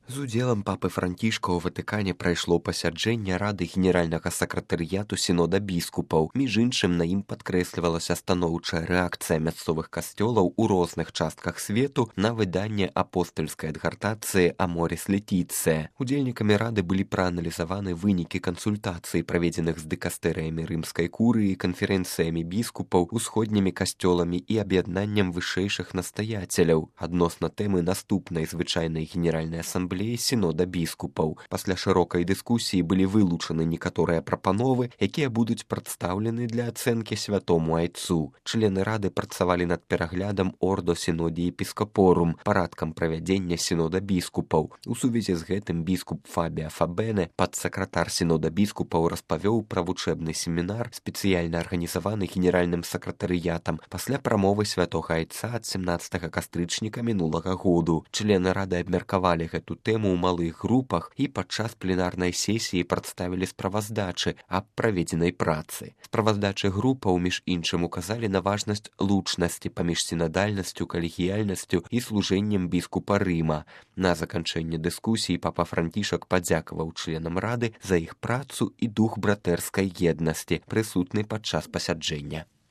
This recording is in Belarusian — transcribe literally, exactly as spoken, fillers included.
З удзелам папы Францішка ў Ватыкане прайшло пасяджэнне Рады генеральнага сакратарыяту сінода біскупаў. Між іншым, на ім падкрэслівалася станоўчая рэакцыя мясцовых касцёлаў у розных частках свету на выданне апостальскай адгартацыі «Аморіс Летіцыя». Удзельнікамі Рады былі прааналізаваны вынікі кансультацый, праведзеных з дыкастэрыямі рымскай курыі, канферэнцыямі біскупаў, усходнімі касцёламі і аб'яднаннем вышэйшых настаяцеляў адносна тэмы наступнай звычайнай генеральнай асамблеі сінода біскупаў. Пасля шырокай дыскусіі былі вылучаны некаторыя прапановы, якія будуць прадстаўлены для ацэнкі святому айцу. Члены Рады працавалі над пераглядам Ордо Синоди Епископорум, парадкам правядзення сінода біскупаў. У сувязі з гэтым біскуп Фабіа Фабене, падсакратар сінода біскупаў, распавёў пра вучэбны семінар, спецыяльна арганізаваны генеральным сакратарыятам пасля прамовы святога айца ад семнаццатага кастрычніка мінулага году. Члены Рады абмеркавалі гэту тэму ў малых групах і падчас пленарнай сесіі прадставілі справаздачы аб праведзенай працы. Справаздачы групаў, між іншым, указалі на важнасць лучнасці паміж сінадальнасцю, калегіяльнасцю і служэннем біскупа Рыма. На заканчэнне дыскусіі папа Францішак падзякаваў членам Рады за іх працу і дух братэрскай еднасці, прысутны падчас пасяджэння.